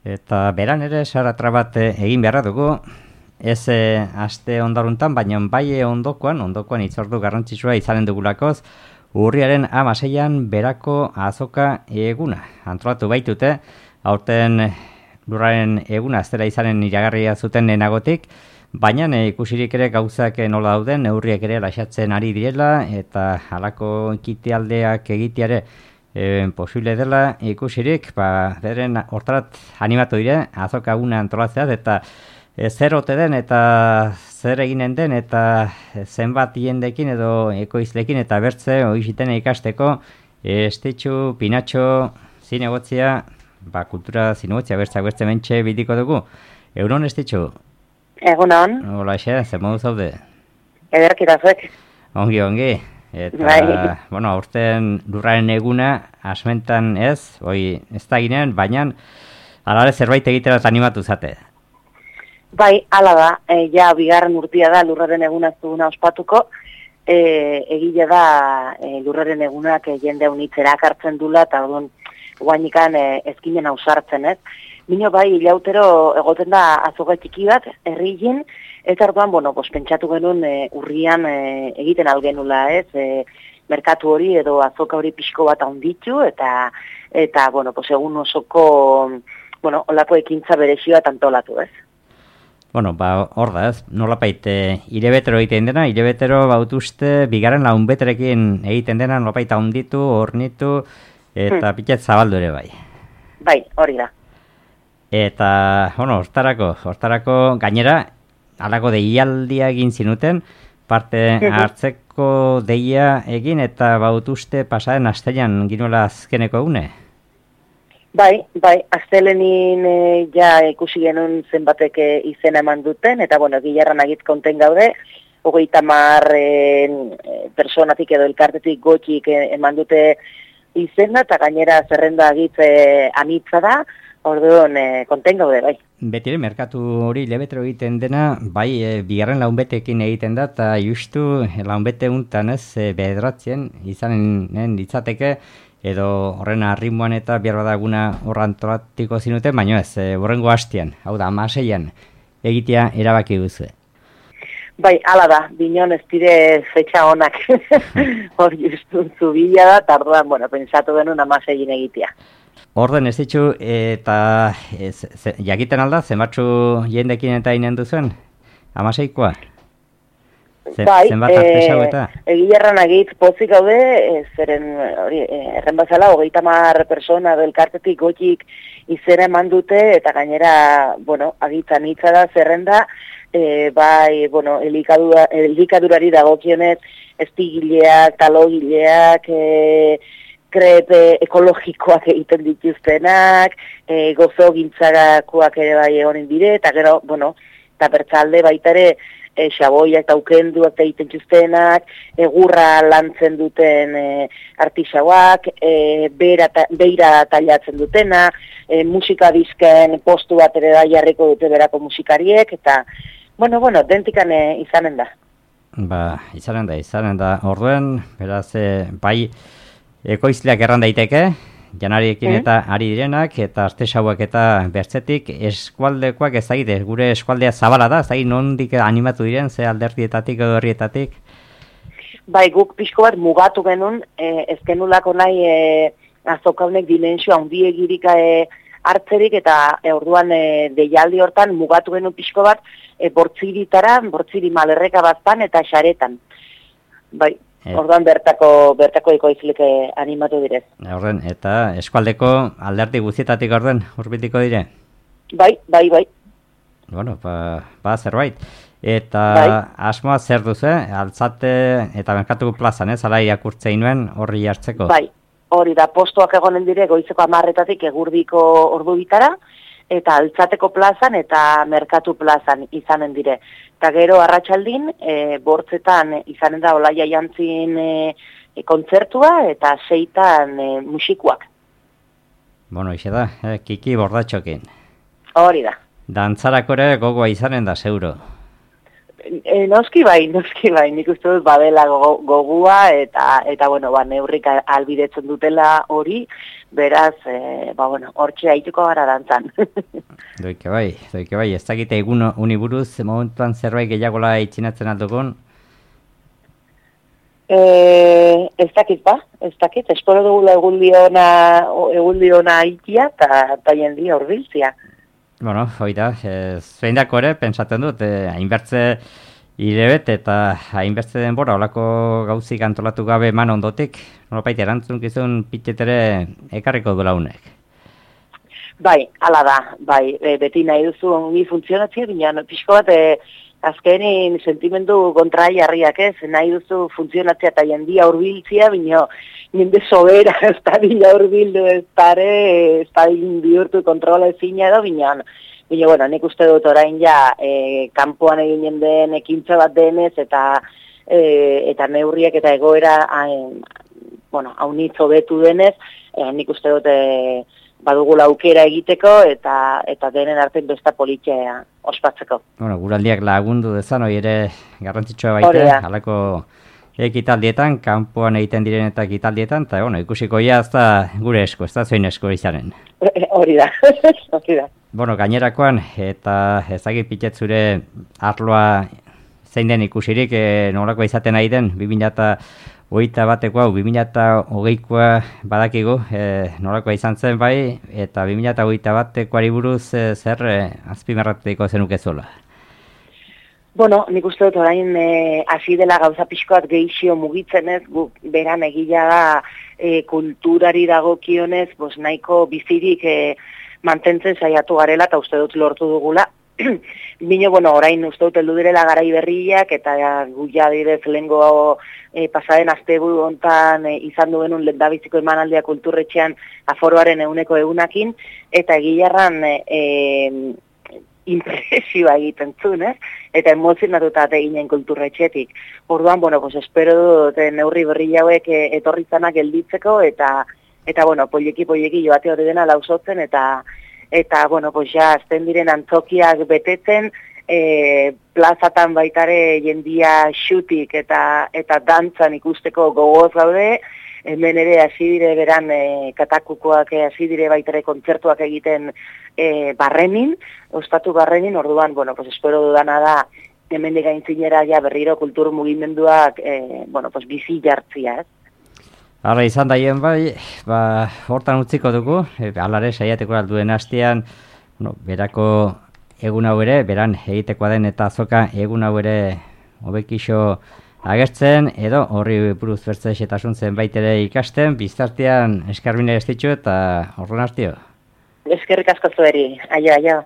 Eta beran ere saratra bat egin beharra dugu, ez aste ondaruntan, baina bai ondokoan hitzordu garrantzitsua izanen dugulakoz, urriaren 16an berako azoka eguna. Antolatu baitute, aurten lurraren eguna ez dela izanen iragarria zuten lehenagotik, baina ikusirik ere gauzak nola dauden, neurriak ere lasatzen ari direla, eta halako ekitealdeak egiteare posible dela ikusirik, beren hortarat animatu dire, azoka eguna antolatzeaz, eta zer ote den eta zer eginen den eta zenbat jendekin edo ekoizlekin eta bertze oiziten ikasteko Estitxu, Pinatxo, zinegotzia, kultura zinegotzia bertze mentxe bidiko dugu. Egunon, Estitxu? Egunon. Hola, zer modu zaude? Ederkitazuek. Ongi. Eta, aurten lurraren eguna asmentan ez da ginen, baina alare zerbait egiterat animatu zate. Bai, ala da, ja bigarren urtia da lurraren eguna ez duguna ospatuko, egile da lurraren egunak jende unitzera akartzen dula, eta guainikan ezkinen ausartzen, ez? Bino bai, ilautero egoten da azoka txiki bat, herrien, eta orduan, pentsatu genuen urrian egiten algenula, ez? Merkatu hori edo azoka hori pixko bat handitu, eta egun osoko, olako ekintza berezioa antolatu, ez? Hor da, ez? Nolapait, irebetero egiten dena, irebetero bautuzte, bigarren launbeterekin egiten dena, nolapait handitu, hornitu, eta pitzat zabaldu ere bai. Bai, hori da. Eta, hortarako gainera, alako deialdia egin zinuten, parte hartzeko deia egin eta bautuzte pasaren astelean ginoela azkeneko egune? Bai, astelenin ja ikusi genuen zenbatek izena eman duten, eta gilarran agit konten gaude, 30 personatik edo elkartetik gotxik eman dute izena, eta gainera zerrenda agit anitza da, orduan konten gaude, bai. Betire, merkatu hori lebetero egiten dena, bai, bigarren launbetekin egiten da, eta justu launbete untan ez, bederatzen izanen ditzateke, edo horren arrimuan eta behar badaguna horrantolatiko zinuten, baina ez, horrengo hastian, hau da, 16an egitea erabaki duzu. Bai, ala da, binon ez dire fetxa honak, hor justuntzu bila da, eta orduan, pensatu denun 16an egitea. Orden ez ditzu, eta jakiten alda, zenbatzu jendekin eta inen duzuen, 16koa? Bai, zenbat artesau eta? Egilarran agit pozik gaude, zeren erren bazala, 30 persona delkartetik gotxik izena eman dute, eta gainera, agitzan hitza da, zerrenda, bai, elikadurari dagokionez, estigileak, talogileak, krepe ekologikoak egiten dituztenak, gozo gintzarakoak ere bai egonen dire, eta gero, eta bertzalde baita ere, xaboiak eta ukenduak egiten txuztenak, egurra lantzen duten artisauak, beira tailatzen dutena, musika dizken postu bat ere da jarriko dute berako musikariek, eta, dentikan izanen da. Izanen da. Orduen, beraz, bai, ekoizleak erran daiteke, janariekin eta ari direnak, eta artesauak eta bertzetik eskualdekoak ezagite, gure eskualdea zabala da, ezagite nondik animatu diren, ze alderdietatik edo herrietatik? Bai, guk pixko bat mugatu genuen, ez genulako nahi azokaunek dimensio handiegirik hartzerik, eta orduan deialdi hortan mugatu genuen pixko bat bortziri malerreka baztan eta xaretan. Bai. Orduan bertako ekoizlek animatu direz. Orden, eta eskualdeko alderdi guztietatik orden urbitiko dire? Bai. Zerbait. Eta asmoa zer duzu, altzate eta merkatuko plazan, zala irakurtzei nuen horri hartzeko? Bai, hori da, postuak egonen dire goizeko 10:00 egurdiko ordu bitara, eta altzateko plazan eta merkatu plazan izanen dire. Eta gero arratsaldin, bortzetan izanen da Olaia Jantzin kontzertua eta 6 musikuak. Ixe da, Kiki Bordatxokin. Hori da. Dantzarako ere gogoa izanen da, zeuro. Noski bai, nik uste dut badela gogua eta neurrik albidetzen dutela hori, beraz, hortxe haituko gara dantzan. Doike bai, ez dakite egun uniburuz, momentuan zerbait gehiagola itxinatzen aldugun? Ez dakit, espero dugula eguldi ona ikia eta jendia urbiltzia. Bueno, hoi da, zein dako ere, pentsatzen dut, hainbertze hilebet eta hainbertze denbora olako gauzik antolatu gabe eman ondotik, nolapait erantzukizun pitxetere ekarriko duela unek. Bai, hala da, bai, beti nahi duzu ongi funtzionatzea, baina pixko bat azkenin sentimendu kontraiarriak ez, nahi duzu funtzionatzea eta jendia urbiltzea, baina jende sobera ez da dila urbildu ez da bihurtu kontrola ezina edo, baina bueno, nik uste dut orain ja kanpoan egin jendeen ekintza bat denez eta neurriak eta egoera haunitz hobetu denez, nik uste dut badugula aukera egiteko eta denen artean besta politia ospatzeko. Bueno, guraldiak lagundu dezan, hori ere garrantzitsua baita, halako ekitaldietan, kanpoan egiten diren eta ekitaldietan, eta ikusiko ja ez da gure esko, ez da zoin esko izanen. Hori da. Bueno, gainerakoan, eta ezagit pitet zure arloa zein den ikusirik, nolakoa izaten nahi den, 2021 hau, 2020koa badakigu, nolakoa izan zen bai, eta 2021koari buruz zer azpimarratuko zenukezola. Bueno, nik uste dut orain hasi dela gauza pixkoat gehixio mugitzen ez, beran egila da kulturari dagokionez, nahiko bizirik mantentzen saiatu garela eta uste dut lortu dugula. Bino, orain uste dut heldu direla garai berriak eta guia direz lehengo pasaden asteburu hontan izan duenun lehendabiziko emanaldia kulturretxean aforoaren 100%, eta egilarran impresioa egiten zuen, eta emozionatuta eginen kulturretxetik. Orduan, espero dut neurri berri hauek etorri zanak gelditzeko, eta poileki joate hori dena lausotzen, eta ja, azten diren antzokiak betetzen, plazatan baitare jendia xutik eta dantzan ikusteko gogoz gaude, hemen ere hasi dire beran katakukoak hasi dire baitare kontzertuak egiten barrenin, ostatu barrenin, orduan, espero dudana da, hemen gaintzinera ja berriro kultur mugimenduak bizi jartzia, ez? Hala izan daien bai, hortan utziko dugu, alare saiateko alduen hastean, berako egun hau ere, beran egitekoa den eta azoka egun hau ere hobekixo agertzen, edo horri buruz bertze xetasun zenbait ere ikasten, biztartean eskarbine ez ditu eta horren hastio. Eskerrik asko zueri, aio.